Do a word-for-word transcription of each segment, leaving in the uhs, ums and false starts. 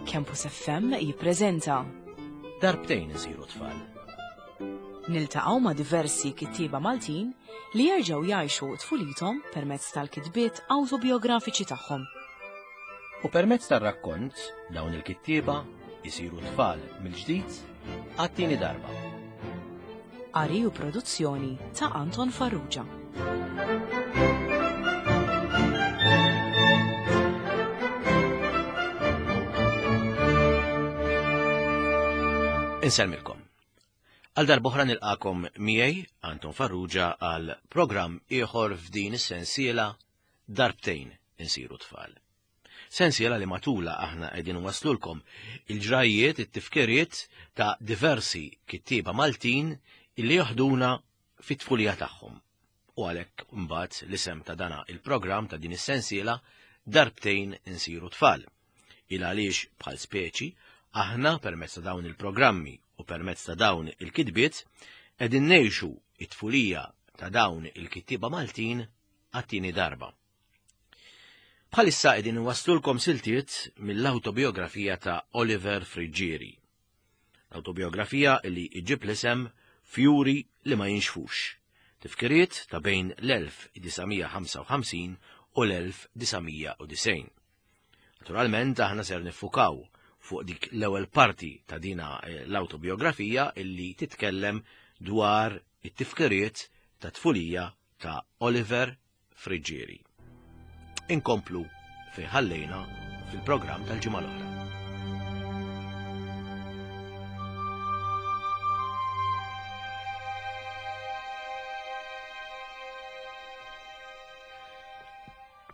Campus F M jippreżenta Darbtejn isiru tfal. Niltaqgħu ma' diversi kittieba Maltin li jerġgħu jgħixu tfulithom permezz tal-kitbiet awtobiografiċi tagħhom. U permezz tar-rakkont dawn il-kittieba jisiru tfal mill-ġdid għat-tieni darba. Qari u produzzjoni ta' Anton Farrugia. Insellmilkom. Għal darb'oħra nilqakom miegħi Anton Farrugia għal programm ieħor f'din is-sensiela Darbtejn insiru tfal. Sensiela li matula aħna qegħdin waslulkom il-ġrajiet, it-tifkiriet ta' diversi kittieba Maltin illi joħduna fit-tfulija tagħhom. U għalhekk imbagħad l-isem ta' dana il-programm ta' din is-sensiela Darbtejn insiru tfal. Il għaliex bħal speċi aħna permezz ta' dawn il-programmi u permezz ta' dawn il-kitbiet qegħdin ngħixu it-tfulija ta' dawn il-kittieba Maltin għat-tieni darba. Bħalissa qegħdin inwasslulkom siltiet mill-awtobiografija ta' Oliver Friggieri. L-awtobiografija li iġib l-isem Fjuri li ma jinxfux. Tifkiriet ta' bejn l-elf disa' mija ħamsa u ħamsin u l-elf disa' mija u disgħin. Naturalment aħna ser niffukaw fuq dik l-ewwel parti ta' dina, eh, l-awtobiografija illi titkellem dwar it-tifkiriet ta' tfulija ta' Oliver Friggieri. Inkomplu fejn ħallejna fil-programm tal-ġimgħa l-oħra.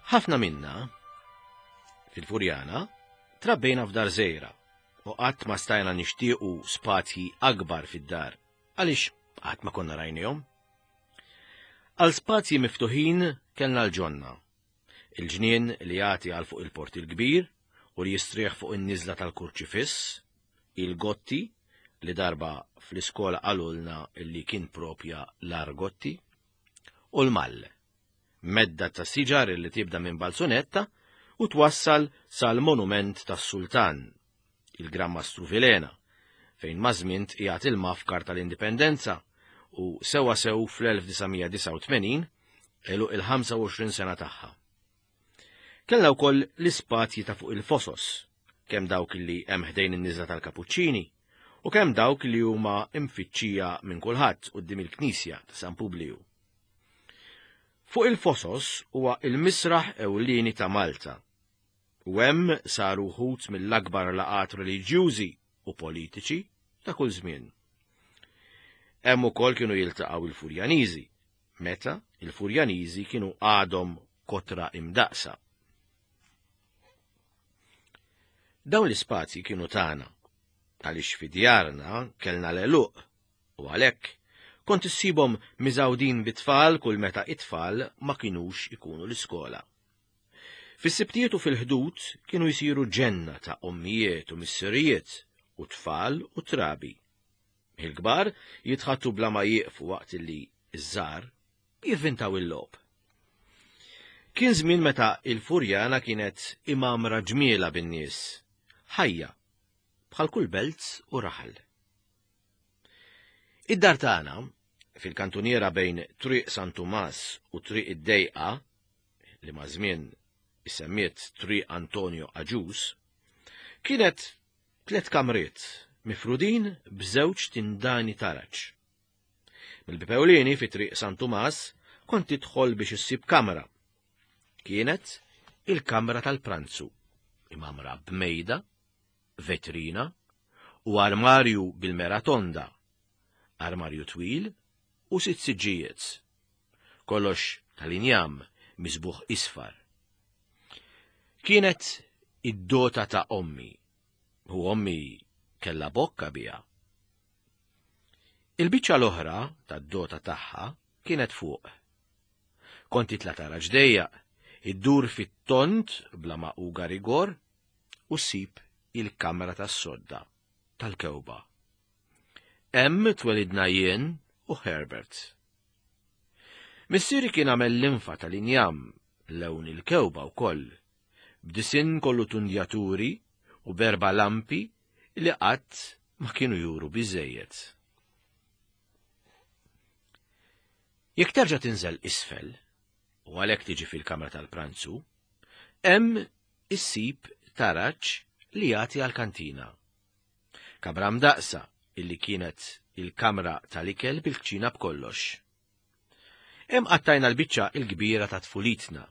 Ħafna minna fil-Furjana trabbejna f'dar żgħira u qatt ma stajna nixtiequ spazji akbar fid-dar għaliex qatt ma konna rajnihom. Għal spazji miftuħin kellna l-ġonna, il-ġnien li jagħti għal fuq il-port il-kbir u li jistrieħ fuq in-niżla tal-Kurċifiss, il-Gotti li darba fl-iskola qalulna li kien propja l-Argotti, u l-Mall, medda ta' siġar li tibda minn Balzunetta u twassal sal-monument tas-Sultan, il-Gran Mastru Vilhena, fejn mażmint qiegħed il-mafkar tal-Indipendenza u sewa sew fl-elf disa' mija disgħa u tmenin għeluq il-ħamsa u għoxrin sena tagħha. Kellna wkoll l-ispazji ta' fuq il-fosos, kemm dawk li hemm ħdejn in-niżla tal-Kapuċċini u kemm dawk li huma imfittxija minn kulħadd quddiem il-Knisja ta' San Publiju. Fuq il-fosos huwa il-misraħ ewlieni ta' Malta, u hemm saru wħud mill-akbar laqgħat reliġjużi u politiċi ta' kull żmien. Hemm ukoll kienu jiltaqgħu il-Furjaniżi, meta il-Furjaniżi kienu għadhom kotra imdaqsa. Dawn l-ispazji kienu tagħna, għaliex fi djarna kellna l-għeluq, u għalhekk kont issibhom miżgħudin bit-tfal kull meta it-tfal ma kinux ikunu l-iskola. Fis-sibtijiet u fil-ħdud kienu jsiru ġenna ta' ommijiet u missirijiet u tfal u trabi. Il-kbar jitħattu bla ma jieqfu waqt li ż-żgħar jivvintaw il-logħob. Kien żmien meta il-Furjana kienet imamra ġmiela bin-nies, ħajja, bħal kull belt u raħal. Id-dar tagħna, fil-kantuniera bejn Triq San Tumas u Triq id-Dejqa, li ma' żmien issemmiet Triq Antonio Agius, kienet tliet kamriet mifrudin b'żewġ tindani taraġ. Mill-bieb ewlieni fi Triq San Tumas kont tidħol biex issib kamra. Kienet il-kamra tal-pranzu, imamra b'mejda, vetrina u armarju bil-mera tonda, armarju twil u sitt siġġijiet. Kollox tal-injam misbuħ isfar. Kienet id-dota ta' ommi, u ommi kella bokka biha. Il-biċċa l-oħra tad-dota tagħha kienet fuq. Kont titla' tara ġdejja, iddur fit-tont bla ma uga rigor u ssib il-kamra tas-sodda tal-kewba. Hemm twelidna jien u Herbert. Missieri kien għamel l-infa tal-injam lewn il-kewba wkoll, b'disinn kollu tundjaturi u berba lampi li qatt ma kienu juru biżejjed. Jekk terġa' tinżel isfel, u għalhekk tiġi fil-kamra tal-pranzu, hemm issib taraġ li jagħti għall-kantina. Kamra mdaqsa illi kienet il-kamra tal-ikel bil-kċina b'kollox. Hemm qattajna l-biċċa il-kbira ta' tfulitna.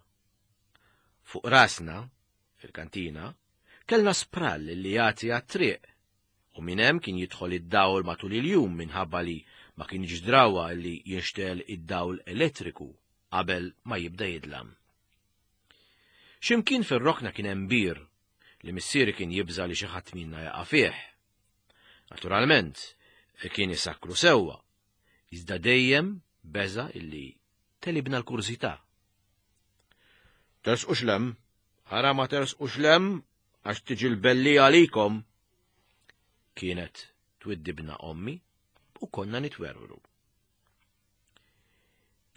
Fuq rasna, fil-kantina, kellna sprall li jagħti għat-triq, u minn hemm kien jidħol id-dawl matul il-jum minħabba li ma kienx drawa li jinxtel id-dawl elettriku qabel ma jibda jidlam. X'imkien fir-rokna kien hemm bir li missieri kien jibża li xi ħadd minna jaqa' fih. Naturalment, kien isakru sewwa, iżda dejjem beża illi telibna l-kurżità. Tersqux lem, ara ma tersqux lem għax tiġi l-belli għalikom. Kienet twiddibna ommi u konna nitwerwru.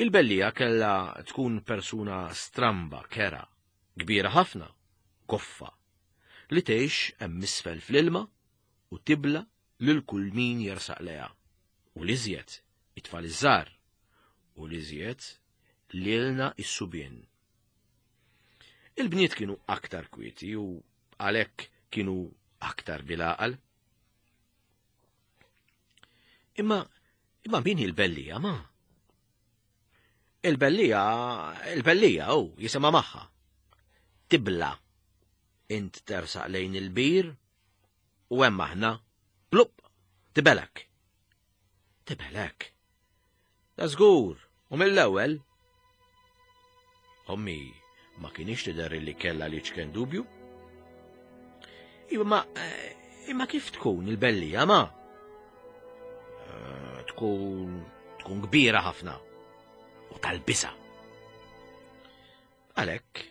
Il-bellija kella tkun persuna stramba, kera, kbira ħafna, koffa, li tgħix hemm isfel fl-ilma u tibla lil kull min jersaq leha, u l-iżjed it-tfal iż-żgħar, u l-iżjed lilna is-subien. Il-bniet kienu aktar kwieti u għalhekk kienu aktar bil-għaqal. Imma, imma min hi l-bellija, ma? Il-bellija, il-bellija, u jisimha magħha. Tibla. Int tersaq lejn il-bir u hemm aħna, plup, tibelek. Tibelek. Da żgur, u mill-ewwel. Ommi ma kienx tidher li kellha li ċken dubju. Imma, imma kif tkun il-bellija, ma? Tkun, tkun kbira ħafna u tal-bisa. Għalhekk,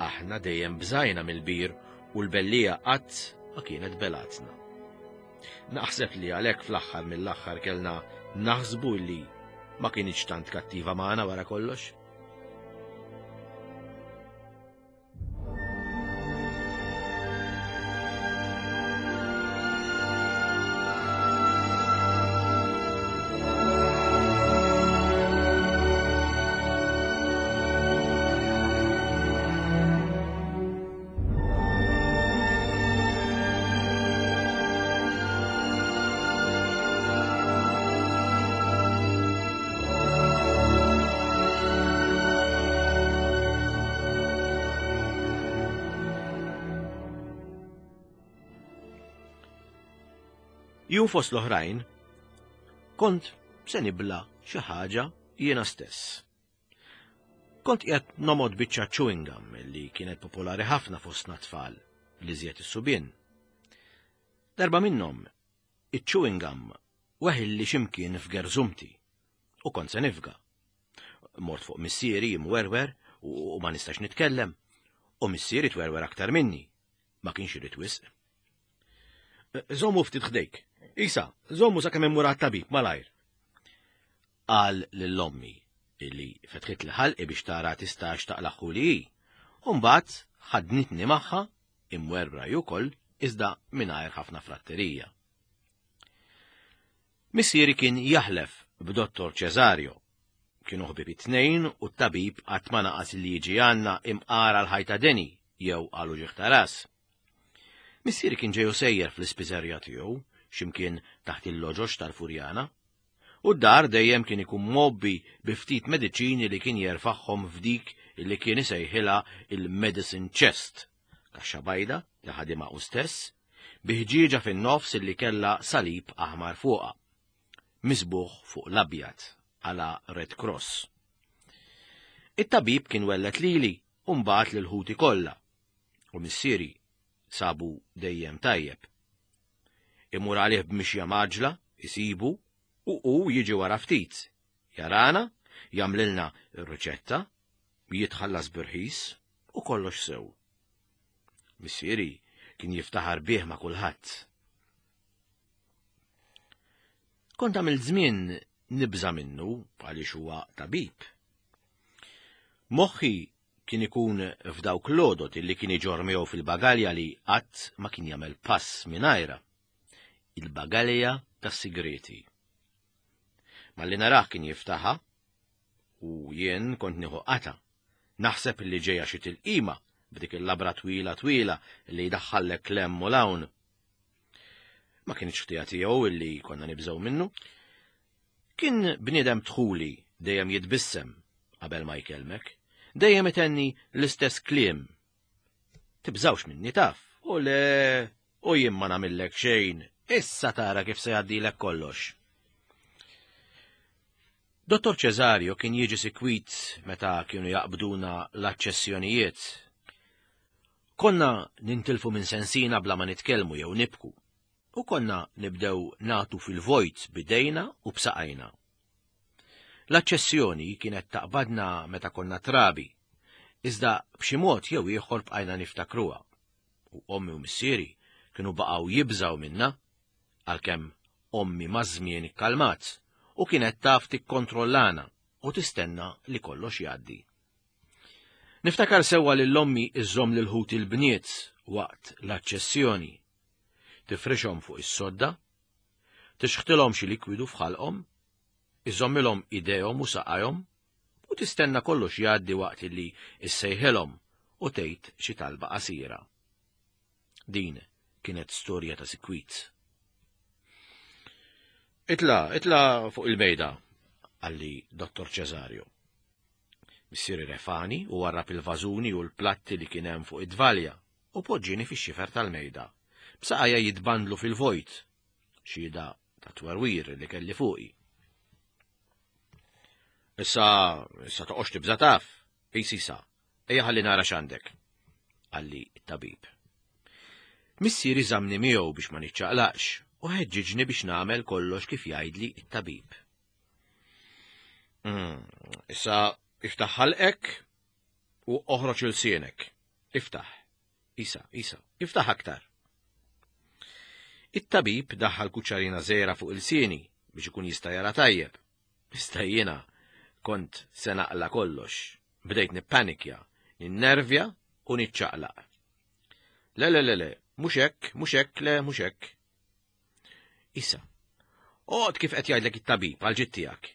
aħna dejjem bżajna mill-bir u l-bellija qatt ma kienet belatna. Naħseb li għalhekk fl-aħħar mill-aħħar kellna naħsbu li ma kienx tant kattiva magħna wara kollox. Jum fost l-oħrajn, kont se nibla xi ħaġa jiena stess. Kont qiegħed nomod biċċa chewing gum li kienet popolari ħafna fostna tfal li żjed is-subien. Darba minnhom, iċ-chewing gum weħilli x'imkien f'gerżumti u kont se nifga. Mort fuq missieri imwerwer u ma nistax nitkellem, u missieri twerwer aktar minni, ma kienx irid wisq. Żommu ftit ħdejk. Isa, żommu sakemm immur għat-tabib malajr. Qal lill-ommi illi fetħit l-ħalqi biex tara tistax taqlaħħu li hi. U mbagħad ħadnitni magħha imwerwra ukoll iżda mingħajr ħafna fratterija. Missieri kien jaħlef b'Dottor Cesario. Kienu ħbieb it-tnejn u t-tabib qatt ma naqas li jiġi għandna imqara l-ħajta deni jew għal uġigħ ta' ras. Missieri kien ġeju sejjer fl-ispiżerja tiegħu x'imkien taħt il-loġox tal-Furjana, u d-dar dejjem kien ikun mobbi bi ftit mediċini li kien jerfagħhom f'dik li kien isejħilha il-medicine chest, kaxxa bajda li ħadimha hu stess, bi ħġieġa fin-nofs li kellha salib aħmar fuqha, misbuħ fuq l-abjad għala Red Cross. It-tabib kien wellet lili u mbagħad lil ħuti kollha, u missieri sabu dejjem tajjeb. Imur għalih b'mixja maġla, isibu, u hu jiġi wara ftit. Jarana, jagħmlilna r-riċetta, jitħallas b'irħis u kollox sew. Missieri kien jiftaħar bih ma' kulħadd. Kont għamilt żmien nibża' minnu għaliex huwa tabib. Moħħi Kien ikun f'dawk l-għodod illi kien iġorr miegħu fil-bagalja li qatt ma kien jagħmel pass mingħajrha. Il-bagalja tas-sigreti. Malli narah kien jiftaħha u jien kont nieħu qata. Naħseb li ġejja xi tilqima b'dik il-labra twila twila li jdaħħallek lemm u lawn. Ma kienx ħtija tiegħu illi konna nibżgħu minnu. Kien bniedem dħuli dejjem jitbissem qabel ma jkellmek, dejjem itenni l-istess kliem. Tibżawx minni taf, u le, u jien ma nagħmillek xejn, issa tara kif se jgħaddilek kollox. Dottor Cesario kien jiġi sikwit meta kienu jaqbduna l-aċċessjonijiet. Konna nintilfu minn sensina bla ma nitkellmu jew nibku, u konna nibdew natu fil-vojt bidejna u b'saqajna. L-aċċessjoni kienet taqbadna meta konna trabi, iżda b'xi mod jew ieħor bqajna niftakruha, u ommi u missieri kienu baqgħu jibżgħu minna, għalkemm ommi maż-żmien ikkalmat u kienet taf tikkontrollana u tistenna li kollox jgħaddi. Niftakar sewwa lil ommi iżżomm lil ħuti l-bniet waqt l-aċċessjoni. Tifrixhom fuq is-sodda, tixħtilhom xi likwidu f'ħalqhom, iżommilhom idejhom u saqajhom u tistenna kollox jgħaddi waqt li issejħilhom u tgħid xi talba qasira. Din kienet storja ta' sikwit. Itla, itla fuq il-mejda, qalli Dottor Cesario. Missieri refani u warrab il-vażuni u l-platti li kien hemm fuq id-dvalja u poġġieni fix-xifer tal-mejda. B'saqajja jitbandlu fil-vojt, xhieda ta' twerwir li kelli fuqi. Issa, issa toqgħodx tibża' taf, ejsisa, ejja ħalli nara x'għandek, qalli t-tabib. Missieri żamni miegħu biex ma niċċaqlaqx u ħeġġiġni biex nagħmel kollox kif jgħidli t-tabib. Mm, issa iftaħ ħalqek u oħroġ ilsienek. Iftaħ. Isa, isa, iftaħ aktar. It-tabib daħħal kuċċarina żgħira fuq ilsieni biex ikun jista' jara tajjeb. Issa jiena kont se naqla kollox. Bdejt nippanikja, ninnervja u niċċaqlaq. Le, le, le, le, mhux hekk, mhux hekk, le, mhux hekk. Issa, oqgħod kif qed jgħidlek it-tabib għal ġid tiegħek.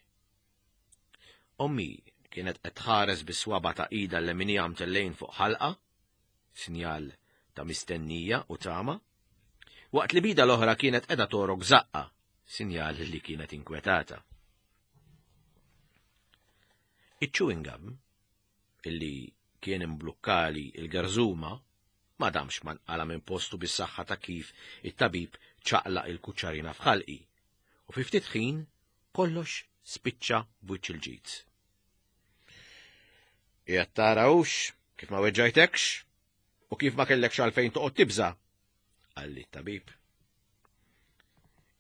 Ommi kienet qed tħares bis-swaba ta' ida l-leminija mtellejn fuq ħalqa, sinjal ta' mistennija u tama, waqt li bida l-oħra kienet qiegħda torok żaqqa, sinjal li kienet inkwetata. Iċ-chewing gum, illi kien imblukkali il-garżuma, ma damx ma nqala minn postu bis-saħħa ta' kif it-tabib ċaqlaq il-kuċċarina f'ħalqi, u fi ftit ħin kollox spiċċa b'wiċċ il-ġid. Qiegħed tarawx kif ma weġġajtekx u kif ma kellekx għalfejn toqgħod tibża', qalli t-tabib.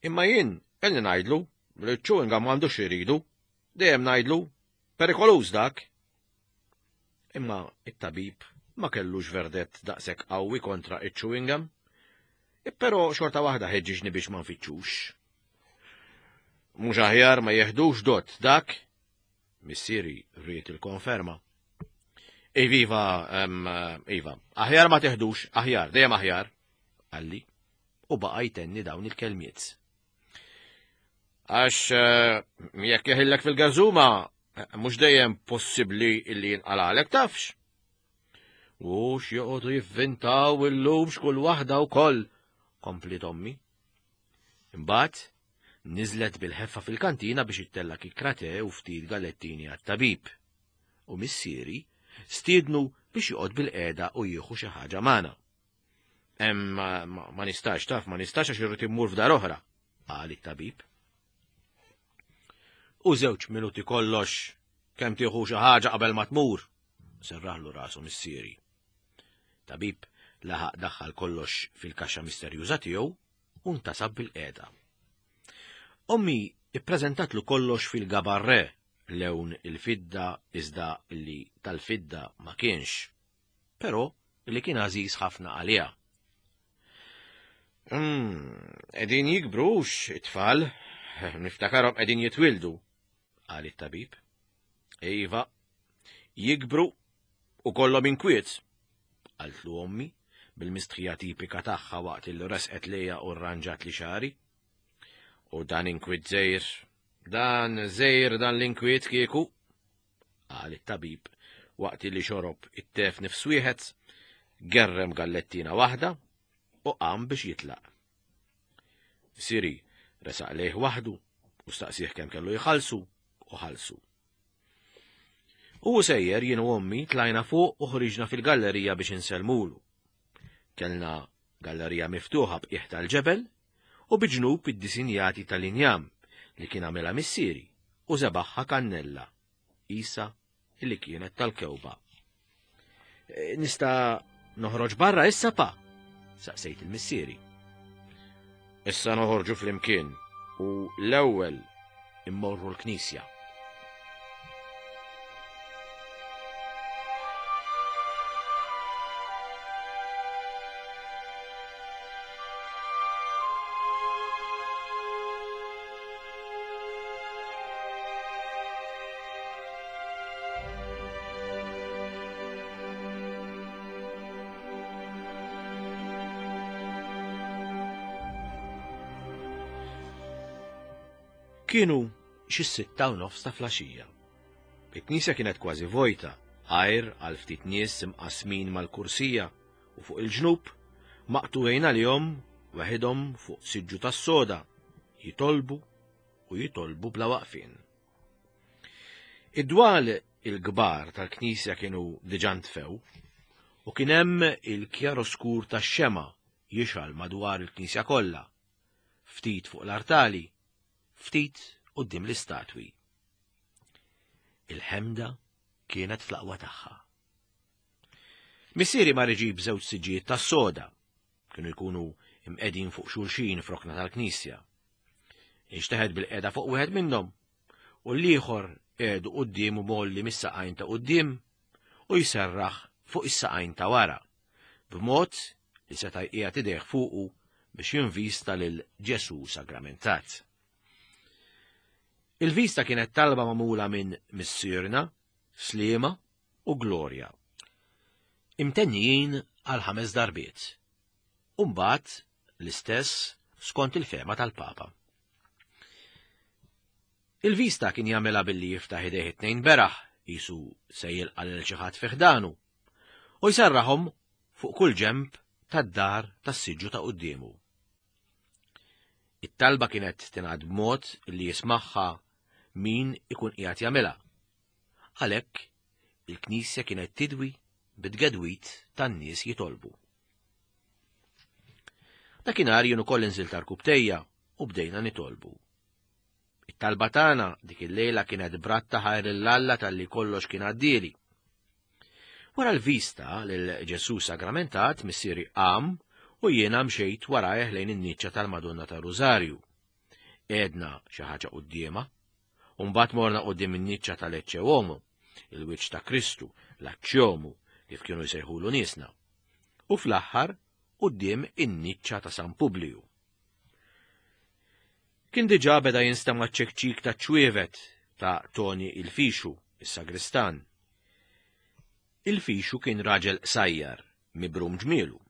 Imma jien ilni ngħidlu li ċ-chewing gum m'għandux iridu, dejjem ngħidlu perikoluż dak. Imma it-tabib ma kellux verdett daqshekk qawwi kontra iċ-chewing gum, però xorta waħda ħeġġiġni biex ma nfittxux. Mhux aħjar ma jeħdux dot dak? Missieri ried il-konferma. Iva, iva, aħjar ma teħdux, aħjar, dejjem aħjar, qalli, u baqa' jtenni dawn il-kelmiet. Għax jekk jeħillek fil-garżuma, mhux dejjem possibbli illi jinqalalek tafx. U x'joqogħdu jivvintaw illum x'kull waħda wkoll, kompliet ommi. Imbagħad niżlet bil-ħeffa fil-kantina biex ittella' kikrate u ftit gallettini għat-tabib. U missieri stiednu biex joqgħod bil-qiegħda u jieħu xi ħaġa magħna. Hemm ma nistax taf, ma nistax għax irrid immur f'dar oħra, qal it-tabib. U żewġ minuti kollox kemm tieħu xi ħaġa qabel ma tmur, serraħlu rasu missieri. Tabib laħaq daħħal kollox fil-kaxxa misterjuża tiegħu u ntasab bil-qiegħda. Ommi ippreżentatlu kollox fil-gabarre, lewn il-fidda iżda li tal-fidda ma kienx, però li kien għażiż ħafna għaliha. Qegħdin jikbrux it-tfal, niftakarhom qegħdin jitwildu, qal it-tabib. Iva, jikbru U kollhom inkwiet, qaltlu ommi bil-mistħija tipika tagħha waqt il resqet lejja u rranġat li xari. U dan inkwiet żejr, dan żejr dan l-inkwiet kieku, qal it-tabib waqt li xorob it-tef nifs wieħed, gerrem gallettina waħda u qam biex jitlaq. Siri resaq lejh waħdu u staqsih kemm kellu jħallsu u ħallsu. U sejjer jien u ommi tlajna fuq u ħriġna fil-gallerija biex insellmulu. Kellna gallerija miftuħa b'qiegħ tal-ġebel u biġnub id-disinjati tal-injam li kien għamilha missieri u żebaħħa kannella, isa li kienet tal-kewba. Nista' noħroġ barra issa pa? Saqsejt il-missieri. Issa noħorġu flimkien u l-ewwel immorru l-knisja. Kienu xi sitta u nofs ta' flaxija. Il-knisja kienet kważi vojta, għajr għal ftit nies imqasmin mal-kursija u fuq il-ġnub maqtuwejn għalihom waħedhom fuq siġġu tas-soda, jitolbu u jitolbu bla waqfien. Id-dwal il-kbar tal-knisja kienu diġà ntfew u kien hemm il-kjaroskur tax-xema jixgħal madwar il-knisja kollha, ftit fuq l-artali, ftit quddiem l-istatwi. Il-ħemda kienet fl-aqwa tagħha. Missieri mar iġib żewġ siġġijiet tas-soda, kienu jkunu imqegħdin fuq xulxin f'rokna tal-knisja. Inxteħet bil-qiegħda fuq wieħed minnhom u l-ieħor qiegħdu quddiemu molli mis-saqajn ta' quddiem u jserraħ fuq is-saqajn ta' wara, b'mod li seta' jqiegħed idejh fuqu biex jinvista lil Ġesu Sagramentat. Il-vista kienet talba magħmula minn Missierna, Sliema u Glorja. Imtennijin għal ħames darbiet. U mbagħad l-istess skont il-fema tal-Papa. Il-vista kien jagħmilha billi jiftaħ idejh it-tnejn beraħ, qisu se jilqa' lil xi ħadd fi ħdanu, u jserraħhom fuq kull ġenb tad-dar tas-siġġu ta' quddiemu. It-talba kienet tingħad b'mod li jismagħha min ikun qiegħed jagħmilha. Għalhekk il-knisja kienet tidwi bit-tgedwit tan-nies jitolbu. Dakinhar jien ukoll inżilt għall-kubtejja u bdejna nitolbu. It-talba tagħna dik il-lejla kienet bratta ħajr lil Alla talli kollox kien għaddieli. Wara l-vista lil Ġesu Sagramentat missieri qam u jiena mxejt warajh lejn in-niċċa tal-Madonna ta' Rużarju. Għedna xi ħaġa quddiemha, u mbagħad morna quddiem in-niċċa tal-Ecce Homo, il-wiċċ ta' Kristu, l-Aċċjomu, kif kienu jsejħulu niesna, u fl-aħħar quddiem in-niċċa ta' San Publiju. Kien diġà beda jinstema' ċ-ċekċik ta' ċwievet ta' Toni il-Fixu, is-sagristan. Il-Fixu kien raġel qsajjar, mibrum ġmielu,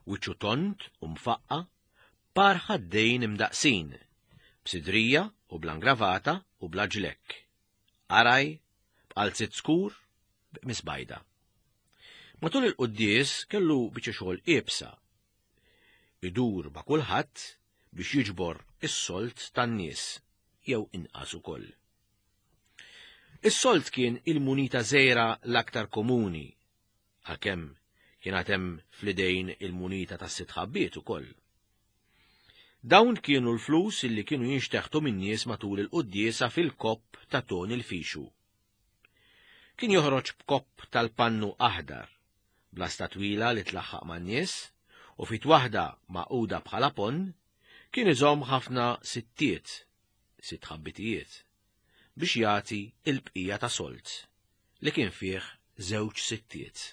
wiċċu tont u mfaqqa, par ħaddejn imdaqsin, b'sidrija u bla ngravata u bla ġlekk. Araj, b'qalzit skur, b'qmis bajda. Matul il-quddies kellu biċċa xogħol iebsa. Idur ma' kulħadd biex jiġbor is-solt tan-nies jew inqas ukoll. Is-solt kien il-munita żgħira l-aktar komuni, għalkemm kien għad hemm fl-idejn il-munita tas-sitt ħabbiet ukoll. Dawn kienu l-flus illi kienu jinxteħtu min-nies matul il-quddiesa fil-kopp ta' Toni l-Fixu. Kien joħroġ b'kopp tal-pannu aħdar, blasta twila li tlaħħaq man-nies, u fit waħda maquda bħala ponn, kien iżomm ħafna sittiet, sitt ħabbitijiet, biex jagħti il-bqija ta' solt li kien fih żewġ sittiet.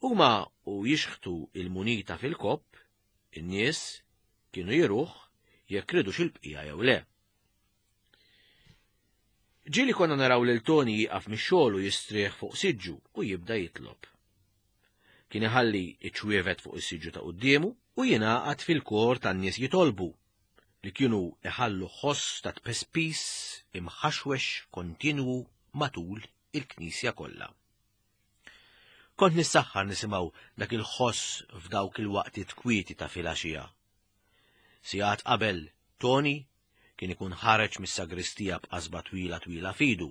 Huma u jixħtu il-munita fil-kopp, in-nies kienu jiruh jekk ridux il-bqija jew le. Ġieli konna naraw lil Toni jieqaf mix-xogħol u jistrieħ fuq siġġu u jibda jitlob. Kien iħalli iċ-ċwievet fuq is-siġġu ta' quddiemu u jingħaqad fil-kor tan-nies jitolbu li kienu iħallu ħoss ta' tpespis imħaxwex kontinwu matul il-knisja kollha. Kont nissaħħar nisimgħu dak il-ħoss f'dawk il-waqtiet kwieti ta' filgħaxija. Sigħat qabel Toni kien ikun ħareġ mis-sagristija b'qasba twila twila fidu,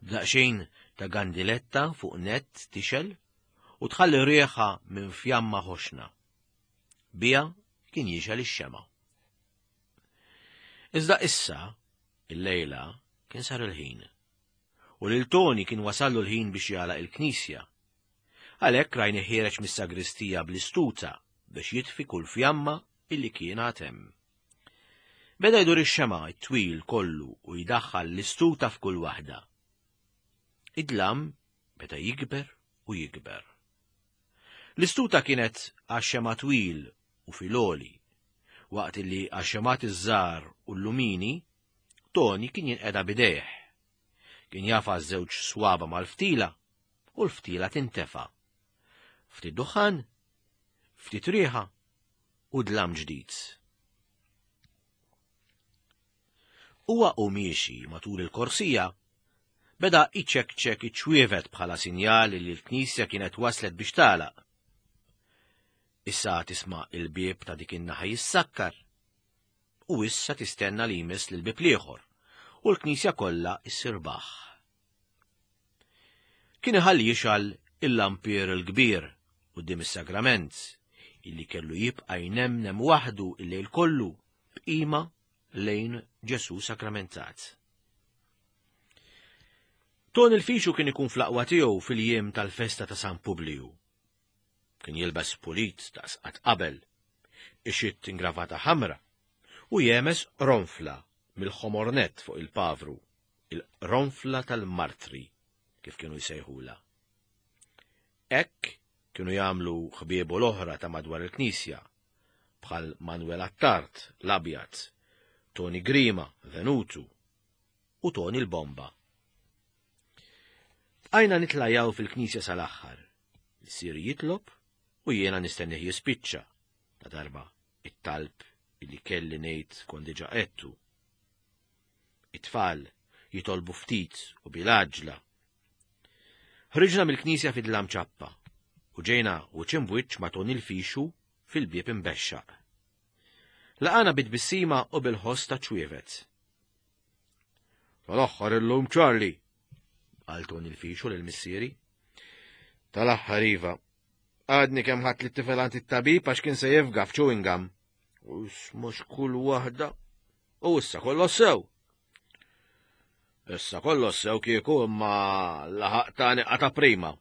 b'daqsxejn ta' gandiletta fuq nett tixel u tħalli rieħa minn fjamma ħoxna. Bija kien jixel ix-xema. Iżda issa, il-lejla, kien sar il-ħin. U lil Toni kien wasallu l-ħin biex jagħlaq il-knisja. Għalhekk rajni ħiereġ mis-sagristija bl-istuta biex jitfi kull fjamma illi kien għad hemm. Beda jdur ix-xema t-twil kollu u jdaħħal l-istuta f'kull waħda. Id-dlam beda jikber u jikber. L-istuta kienet għax-xema twil u filoli, waqt li għax-xemat iż-żgħar u l-lumini, Toni kien jinqeda bidejh. Kien jafa żewġ swaba mal-ftila u l-ftila tintefa. Ftit duħan, ftit riħa u dlam ġdid. Huwa u miexi matul il-korsija, beda iċekċek iċ-ċwievet bħala sinjal li l-knisja kienet waslet biex tagħlaq. Issa tisma' il-bieb ta' dik in-naħa jissakkar u issa tistenna li jmiss lill-bieb l-ieħor u l-knisja kollha issir baħ. Kien iħalli jixgħal il-lampier il-kbir quddiem is-sagrament illi kellu jibqa' jnemnem waħdu il-lejl kollu b'qima lejn Ġesù sakramentat. Toni l-Fixu kien ikun fl-aqwa tiegħu fil-jiem tal-festa ta' San Publiju. Kien jilbes pulit ta' sqat qabel, ixitt ingravata ħamra u jemes ronfla mill-ħomornet fuq il-pavru, il-ronfla tal-martri, kif kienu jsejħula. Hekk kienu jagħmlu ħbiebu l-oħra ta' madwar il-knisja, bħal Manuel Attard, l-Abjad, Toni Grima, Venutu, u Toni l-Bomba. Bqajna nitlajaw fil-knisja sal-aħħar, missieri jitlob u jiena nistennih jispiċċa, ta' darba it-talb illi kelli ngħid kont diġà qedtu. It-tfal jitolbu ftit u bil-għaġla. Ħriġna mill-knisja fid-dlam ċappa u ġejna wiċċ imbwiċċ ma' Toni l-Fixu fil-bieb imbexxaq. Laqana bit-tbissima u bil-ħoss ta' ċwievet. Tal-aħħar illum Charlie, qal Toni l-Fixu lil missieri. Tal-aħħar iva. Għadni kemm ħadt lit-tifel għand it-tabib għax kien se jifga f'chewing gum. U mhux kull waħda. U issa kollox sew. Issa kollox sew kieku imma laħaq tani qata prima.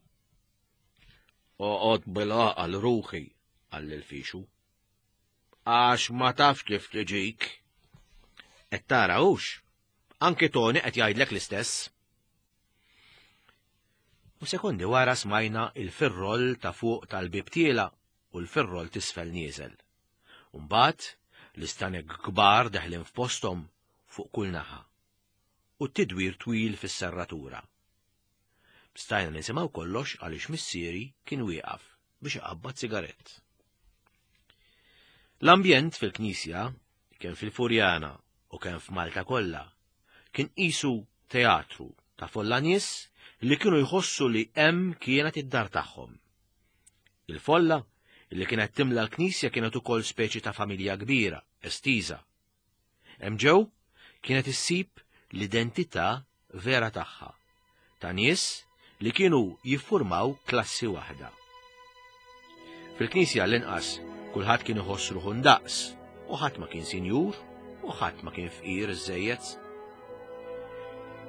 Oqgħod bil-għaqal ruħi, qal il-Fixu. Għax ma tafx kif tiġik. Qed tara hux. Anki Toni qed jgħidlek l-istess. U sekondi wara smajna il-firrol ta' fuq tal-bieb tiela u l-firrol tisfel nieżel. Mbagħad l-istanek kbar deħlin f'posthom fuq kull naħa u t-tidwir twil fis-serratura. Stajna nisimgħu kollox għaliex missieri kien wieqaf biex iqabbad sigarett. L-ambjent fil-knisja, kemm fil-Furjana u kemm f'Malta kollha, kien qisu teatru ta' folla nies li kienu jħossu li hemm kienet id-dar tagħhom. Il-folla li kienet timla l-knisja kienet ukoll speċi ta' familja kbira, estiża. Hemm ġew kienet issib l-identità vera tagħha, ta' nies li kienu jiffurmaw klassi waħda. Fil-knisja l-inqas kulħadd kien iħoss ruħu ndaqs u ħadd ma kien sinjur u ħadd ma kien fqir iżżejjed.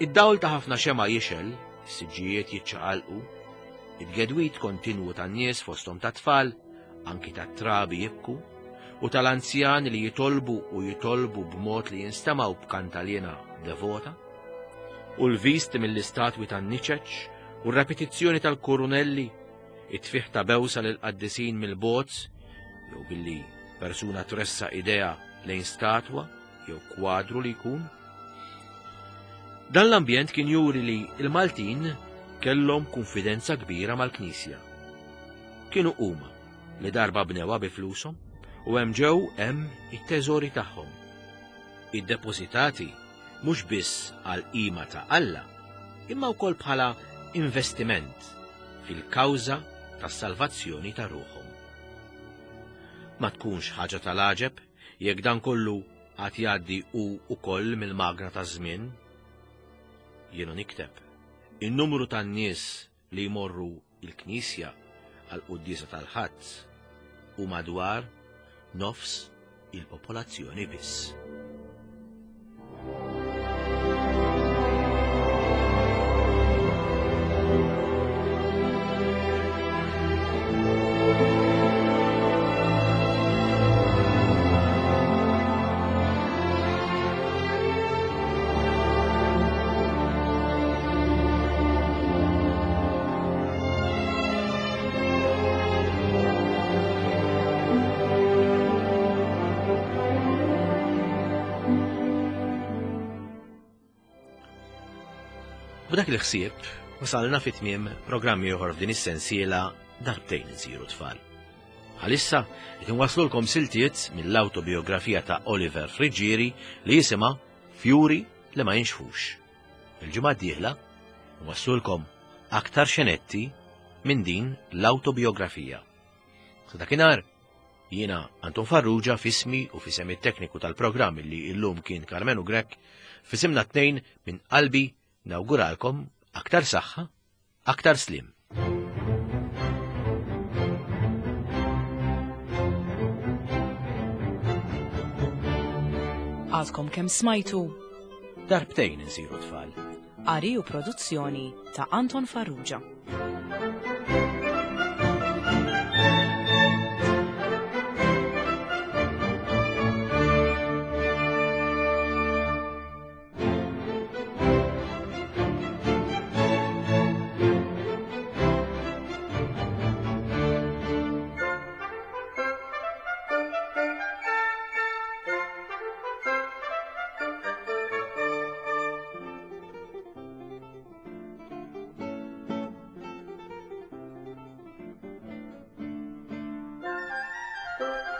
Id-dawl ta' ħafna xema jixel, is-siġġijiet jiċċaqalqu, it-gedwit kontinwu tan-nies fosthom ta' tfal, anki ta' trabi jibku, u tal-anzjani li jitolbu u jitolbu b'mod li jinstemaw b'kantalina devota, u l-visti mill-istatwi tan-niċeċ u r-repetizzjoni tal-kurunelli, it-tfih ta' bewsa lill-qaddisin mill-bogħod, jew billi persuna tressa idea lejn statwa jew kwadru li jkun. Dan l-ambjent kien juri li l-Maltin kellhom kunfidenza kbira mal-Knisja. Kienu huma li darba bnewha bi flushom u hemm ġew hemm it-teżori tagħhom. Iddepożitati mhux biss għal qima ta' Alla, imma wkoll bħala investiment fil-kawża tas-salvazzjoni ta' ruħhom. Ma tkunx ħaġa tal-għaġeb jekk dan kollu għad jgħaddi hu wkoll mill-magna taż-żmien. Jiena nikteb. In-numru tan-nies li jmorru il-Knisja għal quddiesa tal-Ħadd u madwar nofs il-popolazzjoni biss. B'dak il-ħsieb wasalna fi tmiem programm ieħor f'din is-sensiela Darbtejn insiru tfal. Għalissa qed inwaslulkom siltiet mill-awtobiografija ta' Oliver Friggieri li jisimha Fjuri li ma jinxfux. Il-ġimgħa d-dieħla nwaslulkom aktar xenetti minn din l-awtobiografija. Sa dakinhar jiena Anton Farrugia f'ismi u f'isem it-tekniku tal-programm li illum kien Karmenu Grech, f'isimna tnejn minn qalbi nawguralkom aktar saħħa, aktar slim. Għadkom kemm smajtu Darbtejn insiru tfal. Qari u produzzjoni ta' Anton Farrugia. Thank you.